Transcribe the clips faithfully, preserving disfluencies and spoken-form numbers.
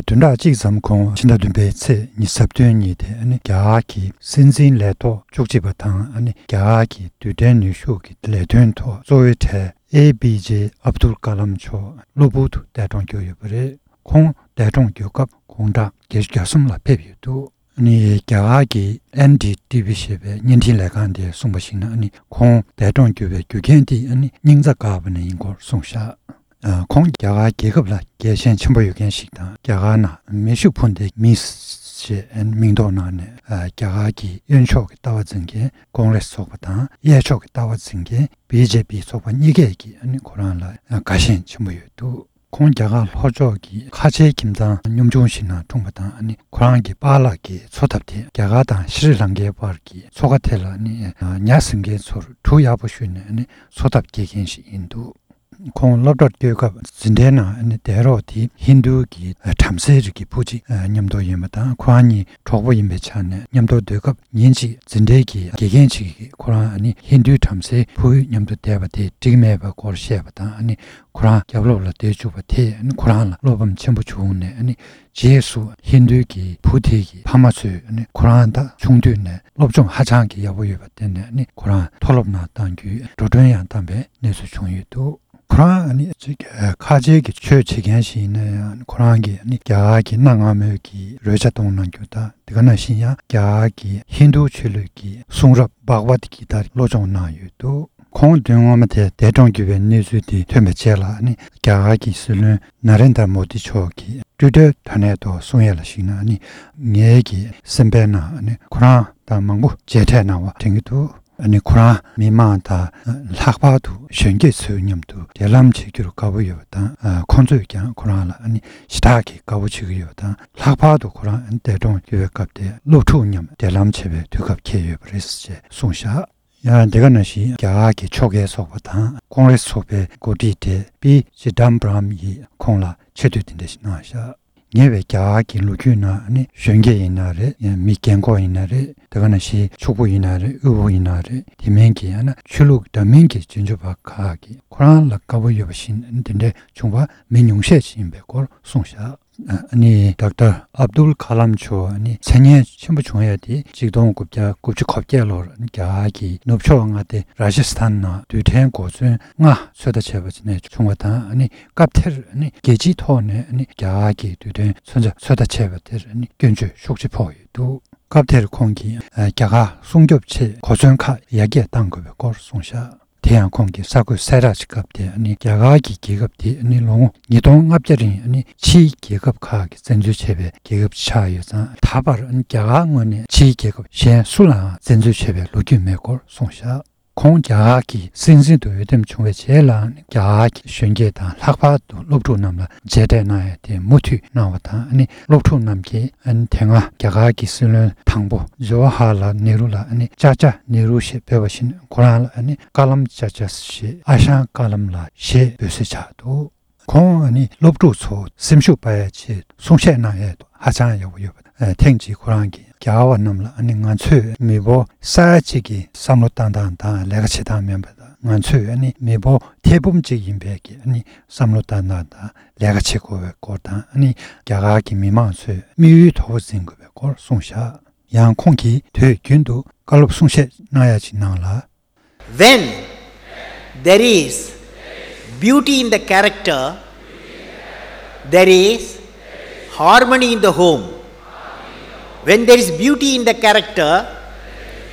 བདུན་ཕྲག་གཅིག་ཙམ་གོང་ཕྱི་ཟླ་བདུན་པའི་ཚེས་ཉི་ཤུ་རྩ་བདུན་ཉིན་དེ་ཨ་ནི་རྒྱ་གར་གྱི་སྲིད་འཛིན་ལས་ཐོག་བཅུ་གཅིག་པ་དང་ཨ་ནི་རྒྱ་གར་གྱི་རྡུལ་ཕྲན་ནུས་ཤུགས་ཀྱི་ལས་དོན་ཐོག་གཙོ་བོའི་གྲས་ཨེ་པི་ཇེ་ཨབ་དུལ་ཀ་ལམ་མཆོག་གློ་བུར་དུ་འདས་གྲོངས་གྱུར་ཡོད་པ་རེད། ཁོང་འདས་གྲོངས་གྱུར་སྐབས་དགུང་གྲངས་བརྒྱད་ཅུ་གྱ་གསུམ་ལ་ཕེབས་ཡོད་འདུག་ཨ་ནི་རྒྱ་གར་གྱི་ཨེན་ཌི་ཊི་ཝི་ཞེས་པའི་བརྙན་འཕྲིན་ལས་ཁང་དེས་གསུངས་པར་གཞིགས་ན། ཨ་ནི་ཁོང་འདས་གྲོངས་གྱུར་བའི་རྒྱུ་རྐྱེན་དེ་ཨ་ནི་སྙིང་རྩ་འགག་པ་ནས་ཡིན་སྐོར་གསུངས་བཞག་ཨ། ཁོང་རྒྱ་གར་རྒྱལ་ཁབ་ལ་རྒྱལ་ཞེན་ཆེན་པོ་ཡོད་མཁན་ཞིག་དང་། རྒྱ་གར་ནང་མེ་ཤུགས་འཕུར་མདེལ་མིས་ཞེས་མིང་འདོགས་གནང་ནས། ཨ། རྒྱ་གར་གྱི་གཡོན་ཕྱོགས་ཀྱི་ལྟ་བ་འཛིན་མཁན་ཀོང་རེས་ཚོགས་པ་དང་། གཡས་ཕྱོགས་ཀྱི་ལྟ་བ་འཛིན་མཁན་བི་ཇེ་པི་ཚོགས་པ་གཉིས་ཀས་ཀྱིས་ཨ་ནི་ཁོ་རང་ལ་དགའ་ཞེན་ཆེན་པོ་ཡོད་འདུག་ཁོང་རྒྱ་གར་ལྷོ་ཕྱོགས་ཀྱི་ཁ་ཆེའི་ཁྱིམ་ཚང་ཉམ་ཆུང་ཞིག་ནང་འཁྲུངས་པ་དང་། ཨ་ནི་ཁོ་རང་གི་པཱ་ལགས་ཀྱི་འཚོ་ཐབས་དེ་རྒྱ་གར་དང་ཤྲི་ལང་ཀའི་བར་གྱི་མཚོ་ཁ་དེ་ལ་ཨ་ནི་ཉ་ཟིན་མཁན་ཚོར་གྲུ་ཡག་པོ་གཞུས་ནས་ཨ་ནི་འཚོ་ཐབས་སྐྱེལ་མཁན་ཞིག་ཡིན་འདུག་ཁོང་སློབ་གྲྭར་སྐྱོད་སྐབས་འཛིན་གྲྭའི་ནང་ཨ་ནི་བསྡད་རོགས་དེ་ཧིན་རྡུ་གི་བྲམ་ཟེའི་རིགས་ཀྱི་བུ་གཅིག་མཉམ་དུ་ཡོད་པ་དང་། ཁོ་རང་གཉིས་གྲོགས་པོ་ཡིན་པའི་ཆ་ནས་མཉམ་དུ་སྡོད་སྐབས། ཉིན་གཅིག་འཛིན་གྲྭའི་གི་དགེ་རྒན་གཅིག་གིས་ཁོ་རང་ཨ་ནི་ཧིན་རྡུའི་བྲམ་ཟེའི་བུ་མཉམ་དུ་བསྡད་པ་དེ་འགྲིག་མེད་པའི་སྐོར་བཤད་པ་དང་། ཨ་ནི་ཁོ་རང་རྒྱབ་ལོགས་ལ་བསྡད་བཅུག་པ་དེས་ཨ་ནི་ཁོ་རང་ལ་བློ་ཕམ་ཆེན་པོ་བྱུང་ནས། ཨ་ནི་རྗེས་སུ་ཧིན་རྡུའི་གི་བུ་དེ་གི་ཕ་མ་ཚོས་ཨ་ནི་ཁོ་རང་ད་ཆུང་དུས་ནས་སློབ་སྦྱོང་ཧ་ཅང་གི་ཡག་པོ་ཡོད་པར་བརྟེན་ནས། ཨ་ནི་ཁོ་རང་མཐོ་སློབ་ནང་གཏང་རྒྱུའི་འགྲོ་གྲོན་ཡང་བཏང་པའི་གནས་ཚུལ་བྱུང་ཡོད་འདུག་ཁོ་རང་ཨ་ནི་ཅིག་ཨ། ཁ་ཆེ་གི་ཆོས་བྱེད་མཁན་ཞིག་ཡིན་ན་ཡང་། ཁོ་རང་གིས་ཨ་ནི་རྒྱ་གར་གྱི་གནའ་སྔ་མོའི་གི་རོལ་ཆ་གཏོང་གནང་རྒྱུ་དང་། དེ་ག་ནང་བཞིན་ཡང་རྒྱ་གར་གྱི་ཧིན་རྡུ་ཆོས་ལུགས་ཀྱི་གསུང་རབ་བྷག་ཝད་གི་ཏཱ་བློ་སྦྱོང་གནང་ཡོད་འདུག་ཁོང་དོན་ངོ་མ་དེ་འདས་གྲོངས་གྱུར་བའི་གནས་ཚུལ་དེ་ཐོན་པའི་རྗེས་ལ། ཨ་ནི་རྒྱ་གར་གྱི་སྲིད་བློན་ན་རེན་དྲ་མོ་དི་མཆོག་གིས་ཊུའི་ཊར་དྲ་གནས་ཐོག་གསུང་ཡས་ལ་གཞིགས་ན། ཨ་ནི་ངའི་གི་སེམས་པའི་ནང་ཨ་ནི་ཁོ་རང་དང་མང་པོ་མཇལ་འཕྲད་གནང་བ་དྲན་གྱི་འདུག་ཨ་ནི་ཁོ་རང་མི་མང་དང་ལྷག་པར་དུ་གཞོན་སྐྱེས་ཚོའི་མཉམ་དུ་འབྲེལ་ལམ་བྱེད་རྒྱུར་དགའ་པོ་ཡོད་པ་དང་། ཨ། ཁོང་ཚོས་ཀྱང་ཁོ་རང་ལ་ཨ་ནི་ཞེ་དྲག་གི་དགའ་པོ་བྱེད་ཀྱི་ཡོད་པ་དང་། ལྷག་པར་དུ་ཁོ་རང་འདས་གྲོངས་ཡོད་པའི་སྐབས་དེ་སློབ་ཕྲུག་མཉམ་འབྲེལ་ལམ་བྱེད་པའི་དུས་སྐབས་འཁེལ་ཡོད་པ་རེད་ཅེས་གསུངས་བཞག་ཡང་དེ་ག་ནང་བཞིན་རྒྱ་གར་གྱི་ཕྱོགས་འགལ་ཚོགས་པ་དང་ཀོང་རེས་ཚོགས་པའི་འགོ་ཁྲིད་དེ་པི་ཅི་དམ་པ་རམ་ཡིས་ཁོང་ལ་ཆེ་བསྟོད་དེ་འདྲ་ཞིག་གནང་བཞག་ཉེ་བའི་རྒྱ་གར་གྱི་ལོ་རྒྱུས་ནང་ནི་གཞོན་སྐྱེས་ཡིན་ན་རེད། ཡང་མི་རྒན་འཁོགས་ཡིན་ན་རེད། དེ་ག་ནང་བཞིན་ཕྱུག་པོ་ཡིན་ན་རེད། དབུལ་པོ་ཡིན་ན་རེད། དེ་མིན་གྱི་ཡང་ན་ཆོས་ལུགས་འདྲ་མིན་གྱི་རྗེས་འཇུག་པ་ཁག་གིས་ཁོ་རང་ལ་དགའ་པོ་ཡོད་པ་བཞིན་འདི་འདྲའི་བྱུང་བ་མི་ཉུང་ཤས་ཤིག་ཡིན་པའི་སྐོར་གསུངས་བཞག་ཨ་ནི་ཌོག་ཊར་ཨབ་དུལ་ཁ་ལམ་མཆོག་ནི་མཚན་སྙན་ཆེན་པོ་བྱུང་ཡ་དེ་གཅིག་སྟོང་དགུ་བརྒྱ་དགུ་བཅུ་གོ་བརྒྱད་ལོར་རྒྱ་གར་གྱི་ནུབ་ཕྱོགས་མངའ་སྡེ་ར་ཇི་སི་ཐན་ནང་རྡུལ་ཕྲན་གོ་མཚོན་ལྔ་ཚོད་ལྟ་བྱས་པ་ནས་བྱུང་བ་དང་། ཨ་ནི་སྐབས་དེར་ཨ་ནི་རྒྱལ་སྤྱིའི་ཐོག་ནས་ཨ་ནི་རྒྱ་གར་གྱི་རྡུལ་ཕྲན་ཚོད་ལྟ་བྱས་པ་དེར་ཨ་ནི་སྐྱོན་བརྗོད་ཤུགས་ཆེ་ཕོག་ཡོད་འདུག་སྐབས་དེར་ཁོང་གིས་ཨ་རྒྱ་གར་སྲུང་སྐྱོབ་ཆེད་གོ་མཚོན་ཁག་ཡར་རྒྱས་གཏང་དགོས་པའི་སྐོར་གསུངས་བཞག་དེ་ཡང་ཁོང་གིས་གསར་འགོད་གསལ་བསྒྲགས་ཀྱི་སྐབས་དེ་ཨ་ནི་རྒྱ་གར་གྱི་རྒྱལ་ཁབ་དེ་ཨ་ནི་ལོ་ངོ་ཉིས་སྟོང་ལྔ་བརྒྱ་རིང་ཨ་ནི་ཕྱིའི་རྒྱལ་ཁབ་ཁག་གིས་བཙན་འཛུལ་བྱས་པའི་རྒྱལ་ཁབ་ཆགས་ཡོད་ཙང་། ད་བར་ཨ་ནི་རྒྱ་གར་ངོས་ནས་ཕྱིའི་རྒྱལ་ཁབ་གཞན་སུ་ལའང་བཙན་འཛུལ་བྱས་པའི་ལོ་རྒྱུས་མེད་སྐོར་གསུངས་བཞག་ཁོང་རྒྱ་གར་གྱི་སྲིད་འཛིན་དུ་འོས་འདེམས་བྱུང་བའི་རྗེས་ལ། ཨ་ནི་རྒྱ་གར་གྱི་གཞོན་སྐྱེས་དང་ལྷག་པར་དུ་སློབ་ཕྲུག་རྣམས་ལ་མཇལ་འཕྲད་གནང་ཡ་དེ་མུ་མཐུད་གནང་བ་དང་། ཨ་ནི་སློབ་ཕྲུག་རྣམས་ཀྱིས་ཨ་ནི་དེ་སྔ་རྒྱ་གར་གྱི་སྲིད་བློན་དང་པོ་ཇོ་ཧ་ལ་ནེ་རུ་ལ་ཨ་ནི་ཅཱ་ཅཱ་ནེ་རུ་ཞེས་འབོད་པ་བཞིན། ཁོ་རང་ལ་ཨ་ནི་ཀ་ལམ་ཅཱ་ཅཱ་ཞེས་ཨ་ཞང་ཀ་ལམ་ལགས་ཞེས་འབོད་སྲོལ་ཆགས་འདུག་ཁོང་ཨ་ནི་སློབ་ཕྲུག་ཚོ་སེམས་ཤུགས་སྤར་ཡ་ཆེད་གསུང་བཤད་གནང་ཡས་ཧ་ཅང་ཡག་པོ་ཡོད་པ། ཨ། ཐེངས་གཅིག་ཁོ་རང་གིས་རྒྱ་གར་བ་རྣམས་ལ་ཨ་ནི་ང་ཚོས་མི་འབོར་ས་ཡ་གཅིག་གི་བསམ་བློ་བཏང་སྟངས་དང་ལས་ཀ་བྱེད་སྟངས་མིན་པ་དང་། ང་ཚོས་ཨ་ནི་མི་འབོར་ཐེར་འབུམ་གཅིག་ཡིན་པའི་གི་ཨ་ནི་བསམ་བློ་བཏང་སྟངས་དང་ལས་ཀ་བྱེད་དགོས་པའི་སྐོར་དང་། ཨ་ནི་རྒྱ་གར་གྱི་མི་མང་ཚོས་དམིགས་ཡུལ་མཐོ་པོ་འཛིན་དགོས་པའི་སྐོར་གསུངས་བཞག་ཡང་ཁོང་གིས་དུས་རྒྱུན་དུ་བཀའ་སློབ་གསུང་བཤད་གནང་ཡ་ཅིག་གནང་ལ། When there is beauty in the character, there is harmony in the home. When there is beauty in the character,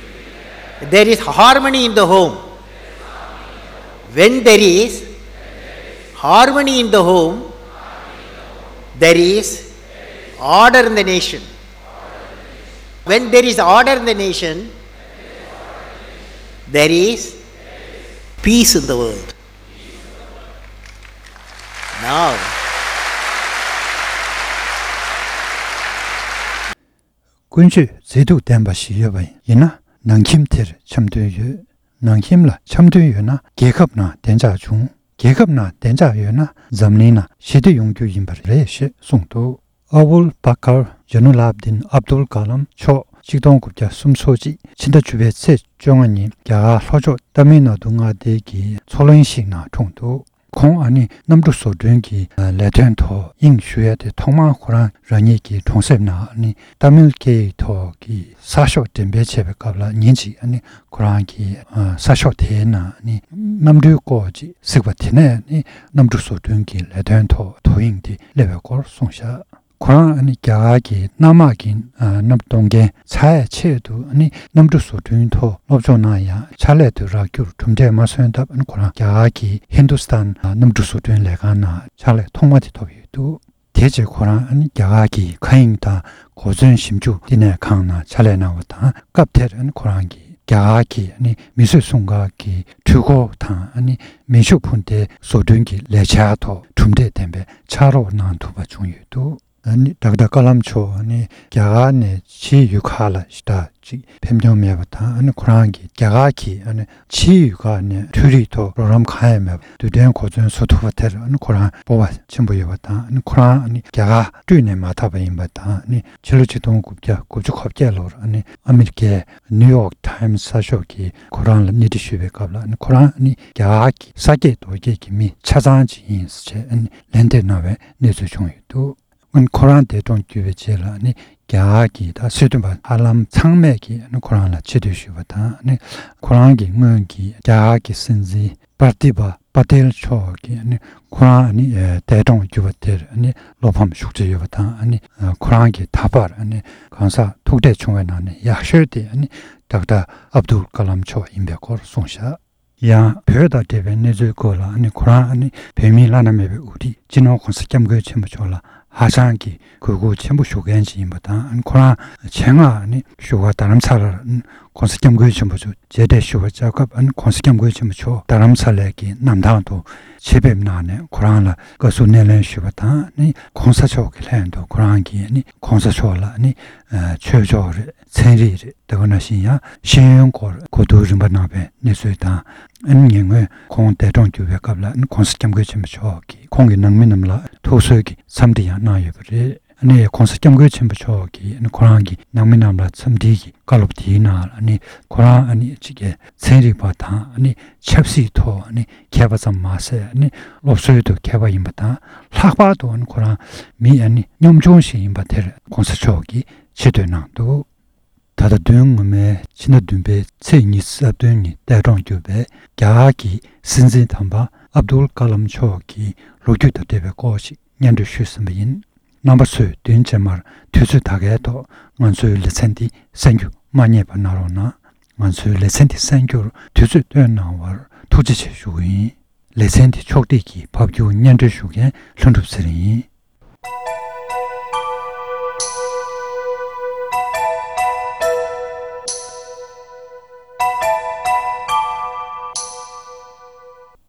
there is harmony in the home. When there is harmony in the home, there is order in the nation. When there is order in the nation, there is peace in the world. Now, ཀུན་སྤྱོད་མཛེས་སྡུག་ལྡན་པ་ཞིག་ཡོད་པ་ཡིན་ན། ནང་ཁྱིམ་དེར་འཆམ་མཐུན་ཡོད། ནང་ཁྱིམ་ལ་འཆམ་མཐུན་ཡོད་ན་རྒྱལ་ཁབ་ནང་བདེ་འཇགས་འབྱུང་། རྒྱལ་ཁབ་ནང་བདེ་འཇགས་ཡོད་ན་འཛམ་གླིང་ནང་ཞི་བདེ་ཡོང་རྒྱུ་ཡིན་པ་རེད་ཞེས་གསུངས་འདུག་ཨ་བུལ་བྷ་ཀར་ཇ་ནུ་ལ་བ་དིན་ཨབ་དུལ་ཀ་ལམ་མཆོག་ཆིག་སྟོང་དགུ་བརྒྱ་སུམ་ཅུ་སོ་གཅིག་ཕྱི་ཟླ་བཅུ་པའི་ཚེས་བཅོ་ལྔ་ཉིན་རྒྱ་གར་ལྷོ་ཕྱོགས་ཏཱ་མིལ་ནཱ་ཌུ་མངའ་སྡེ་གི་མཚོ་གླིང་ཞིག་ནང་འཁྲུངས་འདུག་ཁོང་ཨ་ནི་གནམ་གྲུ་བཟོ་སྐྲུན་གྱི་ལས་དོན་ཐོག་དབྱིངས་ཞུགས་ཡ་དེ་ཐོག་མར་ཁོ་རང་རང་ཉིད་ཀྱི་གྲོང་གསེབ་ནང་ཨ་ནི་ཏཱ་མིལ་སྐད་ཡིག་ཐོག་གི་གསར་ཤོག་འགྲེམས་སྤེལ་བྱས་པའི་སྐབས་ལ་ཉིན་གཅིག་ཨ་ནི་ཁོ་རང་གི་གསར་ཤོག་དེའི་ནང་ཨ་ནི་གནམ་གྲུའི་སྐོར་ཅིག་གཟིགས་པ་དེ་ནས་ཨ་ནི་གནམ་གྲུ་བཟོ་སྐྲུན་གྱི་ལས་དོན་ཐོག་དོ་དབྱིངས་དེ་སླེབས་པའི་སྐོར་གསུངས་བཞག་ཁོ་རང་ཨ་ནི་རྒྱ་གར་གྱི་གནམ་དམག་གི་གནམ་གཏོང་མཁན་ཚར་ཡ་ཆེད་དུ་ཨ་ནི་གནམ་གྲུ་བཟོ་སྐྲུན་ཐོག་སློབ་སྦྱོང་གནང་ཡང་ཕྱག་ལས་དུ་རག་རྒྱུར་གྲུབ་འབྲས་མ་སོན་སྟབས་ཨ་ནི་ཁོ་རང་རྒྱ་གར་གྱི་ཧིན་དུ་སི་ཐན་གནམ་གྲུ་བཟོ་སྐྲུན་ལས་ཁང་ནང་ཕྱག་ལས་ཐོག་མ་དེ་ཐོབ་ཡོད་འདུག་དེ་རྗེས་ཁོ་རང་ཨ་ནི་རྒྱ་གར་གྱི་མཁའ་དབྱིངས་དང་གོ་མཚོན་ཞིབ་འཇུག་བསྟི་གནས་ཁང་ནང་ཕྱག་ལས་གནང་བ་དང་སྐབས་དེར་ཨ་ནི་ཁོ་རང་གིས་རྒྱ་གར་གྱི་ཨ་ནི་མིས་བཟོས་སྲུང་སྐར་གྱི་འཕྲུལ་འཁོར་དང་ཨ་ནི་མེ་ཤུགས་འཕུར་མདེལ་བཟོ་སྐྲུན་གྱི་ལས་འཆར་ཐོག་གྲུབ་འབྲས་ལྡན་པའི་ཕྱག་རོགས་གནང་ཐུབ་པ་བྱུང་ཡོད་འདུག་ཨ་ནི་ཌོག་ཊར་ཀ་ལམ་མཆོག་ཨ་ནི་རྒྱ་གར་ནས་ཕྱིའི་ཡུལ་ཁག་ལ་ཞེ་དྲག་ཅིག་ཕེབས་མྱོང་མེད་པ་དང་ཨ་ནི་ཁོ་རང་གིས་རྒྱ་གར་གྱི་ཨ་ནི་ཕྱིའི་ཡུལ་ཁག་ནས་འཕྲུལ་རིག་ཐོག་གྲོགས་རམ་གང་ཡང་མེད་པར་རྡུལ་ཕྲན་གོ་མཚོན་བཟོ་ཐུབ་པ་དེར་ཨ་ནི་ཁོ་རང་སྤོབས་པ་ཆེན་པོ་ཡོད་པ་དང་ཨ་ནི་ཁོ་རང་ཨ་ནི་རྒྱ་གར་སྤྲོས་ནས་མ་ཐར་པ་ཡིན་པ་དང་ཨ་ནི་ཕྱི་ལོ་ཆིག་སྟོང་དགུ་བརྒྱ་དགུ་བཅུ་གོ་བརྒྱད་ལོར་ཨ་ནི་ཨ་མི་རི་ཀའི་ནིའུ་ཡོག་ཊའིམ་གསར་ཤོག་གིས་ཁོ་རང་ལ་གནས་འདྲི་ཞུས་པའི་སྐབས་ལ་ཨ་ནི་ཁོ་རང་ཨ་ནི་རྒྱ་གར་གྱི་ས་སྐྱེས་རྡོ་སྐྱེས་ཀྱི་མི་ཆ་ཚང་ཅིག་ཡིན་ཟེར་བྱས་ཨ་ནི་ལན་འདེབས་གནང་བའི་གནས་ཚུལ་བྱུང་ཡོད་འདུག་ཨ་ནི་ཁོ་རང་འདས་གྲོངས་གྱུར་བའི་རྗེས་ལ་ཨ་ནི་རྒྱ་གར་གྱི་ད་སྲིད་དོན་པ་ཧ་ལམ་ཚང་མས་ཀྱིས་ཨ་ནི་ཁོ་རང་ལ་ཆེ་བསྟོད་ཞུས་པ་དང་ཨ་ནི་ཁོ་རང་གི་སྔོན་གྱི་རྒྱ་གར་གྱི་སྲིད་འཛིན་པར་ཏི་བ་པ་ཏེལ་མཆོག་གིས་ཨ་ནི་ཁོ་རང་ཨ་ནི་འདས་གྲོངས་གྱུར་བ་དེར་ཨ་ནི་བློ་ཕམ་ཤུགས་ཆེ་ཡོད་པ་དང་ཨ་ནི་ཁོ་རང་གིས་ད་བར་ཨ་ནི་གང་ཟག་ཐུག་འཕྲད་བྱུང་བའི་ནང་ནས་ཡག་ཤོས་དེ་ཨ་ནི་ཌོག་ཊར་ཨབ་དུལ་ཀ་ལམ་མཆོག་ཡིན་པའི་སྐོར་གསུངས་བཞག་ཡང་བོད་དང་འབྲེལ་བའི་གནས་ཚུལ་སྐོར་ལ་ཨ་ནི་ཁོ་རང་ཨ་ནི་བོད་མིའི་བླ་ན་མེད་པའི་དབུ་ཁྲིད་སྤྱི་ནོར་༸གོང་ས་༸སྐྱབས་མགོན་ཆེན་པོ་མཆོག་ལ་ཧ་ཅང་གི་གུས་བཀུར་ཆེན་པོ་ཞུ་མཁན་ཅིག་ཡིན་པ་དང་ཨ་ནི་ཁོ་རང་ཆེད་མངགས་ཨ་ནི་བཞུགས་སྒར་རྡ་རམ་ས་ལར་༸གོང་ས་༸སྐྱབས་མགོན་ཆེན་པོ་མཆོག་མཇལ་འཕྲད་ཞུ་བར་བཅར་སྐབས་ཨ་ནི་༸གོང་ས་༸སྐྱབས་མགོན་ཆེན་པོ་མཆོག་རྡ་རམ་ས་ལའི་གི་གནམ་ཐང་དུ་ཆེད་ཕེབས་གནང་ནས་ཁོ་རང་ལ་བཀའ་ཟུར་སྣེ་ལེན་ཞུས་པ་དང་ཨ་ནི་༸གོང་ས་མཆོག་གི་ལྷན་དུ་ཁོ་རང་གིས་ཨ་ནི་༸གོང་ས་མཆོག་ལ་ཨ་ནི་ཆོས་ཕྱོགས་རེད། ཚན་རིག་རེད། དེ་ག་ནང་བཞིན་ཡང་ཤེས་ཡོན་སྐོར་གོ་བསྡུར་རིམ་པ་གནང་བའི་གནས་ཚུལ་དང་། ཨ་ནི་ཉེ་སྔོན་ཁོང་འདས་གྲོངས་གྱུར་བའི་སྐབས་ལ་༸གོང་ས་༸སྐྱབས་མགོན་ཆེན་པོ་མཆོག་གིས་ཁོང་གི་ནང་མི་རྣམས་ལ་ཐུགས་གསོའི་གི་འཚམས་འདྲི་ཡང་གནང་ཡོད་པ་རེད། ཨ་ནི་༸གོང་ས་༸སྐྱབས་མགོན་ཆེན་པོ་མཆོག་གིས་ཨ་ནི་ཁོ་རང་གི་ནང་མི་རྣམས་ལ་འཚམས་འདྲིའི་གི་བཀའ་སློབ་དེའི་ནང་ལ་ཨ་ནི་ཁོ་རང་ཨ་ནི་གཅིག་གི་ཚན་རིག་པ་དང་ཨ་ནི་ཆབ་སྲིད་ཐོག་ཨ་ནི་མཁས་པ་ཙམ་མ་ཟད་ཨ་ནི་སློབ་གསོའི་ཐོག་མཁས་པ་ཡིན་པ་དང་ལྷག་པར་དུ་ཨ་ནི་ཁོ་རང་མི་ཨ་ནི་གཉོམ་ཆུང་ཞིག་ཡིན་པ་དེར་༸གོང་ས་མཆོག་གིས་ཆེ་བསྟོད་གནང་འདུག་ད་ལྟ་བདུན་སྔོན་མའི་ཕྱི་ཟླ་བདུན་པའི་ཚེས་ཉི་ཤུ་རྩ་བདུན་ཉིན་འདས་གྲོངས་གྱུར་པའི་རྒྱ་གར་གྱི་སྲིད་འཛིན་དམ་པ་ཨབ་དུལ་ཀ་ལམ་མཆོག་གི་ལོ་རྒྱུས་དང་འབྲེལ་བའི་སྐོར་ཞིག་སྙན་སྒྲོན་ཞུས་ཟིན་པ་ཡིན། རྣམ་པ་ཚོས་བདུན་རྗེས་མར་དུས་ཚོད་ད་གའི་ཐོག་ང་ཚོའི་ལེ་ཚན་འདི་གསན་རྒྱུ་མ་བསྙེལ་བ་གནང་རོགས་གནང་། ང་ཚོའི་ལེ་ཚན་འདི་གསན་རྒྱུར་དུས་ཚོད་བཏོན་གནང་བར་ཐུགས་རྗེ་ཆེ་ཞུ་གི་ཡིན། ལེ་ཚན་འདི་ཕྱོགས་སྒྲིག་གིས་ཕབ་སྒྱུར་སྙན་སྒྲོན་ཞུ་མཁན་ལྷུན་གྲུབ་ཚེ་རིང་ཡིན།